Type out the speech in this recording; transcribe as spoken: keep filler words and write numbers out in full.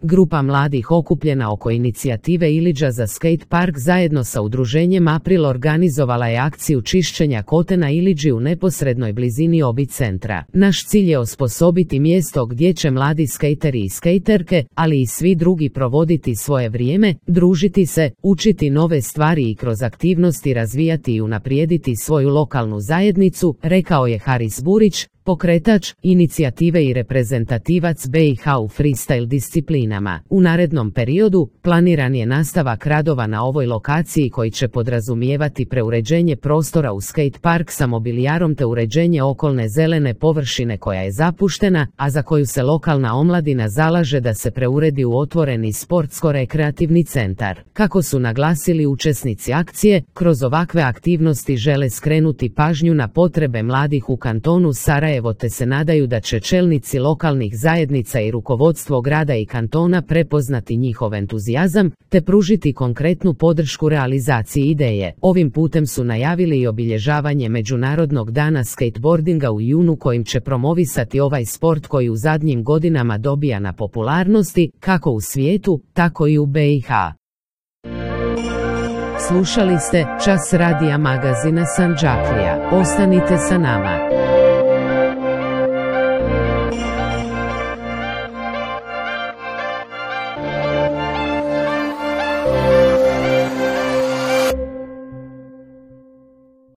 Grupa mladih okupljena oko inicijative Ilidža za skate park zajedno sa udruženjem April organizovala je akciju čišćenja kote na Ilidži u neposrednoj blizini Obi centra. Naš cilj je osposobiti mjesto gdje će mladi skejteri i skejterke, ali i svi drugi provoditi svoje vrijeme, družiti se, učiti nove stvari i kroz aktivnosti razvijati i unaprijediti svoju lokalnu zajednicu, rekao je Haris Burić, pokretač inicijative i reprezentativac B i H u freestyle disciplinama. U narednom periodu planiran je nastavak radova na ovoj lokaciji koji će podrazumijevati preuređenje prostora u skate park sa mobilijarom te uređenje okolne zelene površine koja je zapuštena, a za koju se lokalna omladina zalaže da se preuredi u otvoreni sportsko-rekreativni centar. Kako su naglasili učesnici akcije, kroz ovakve aktivnosti žele skrenuti pažnju na potrebe mladih u kantonu Sarajevo te se nadaju da će čelnici lokalnih zajednica i rukovodstvo grada i kantona prepoznati njihov entuzijazam, te pružiti konkretnu podršku realizaciji ideje. Ovim putem su najavili i obilježavanje Međunarodnog dana skateboardinga u junu kojim će promovisati ovaj sport koji u zadnjim godinama dobija na popularnosti, kako u svijetu, tako i u B i H. Slušali ste Čas radija magazina Sandžaklija. Ostanite sa nama.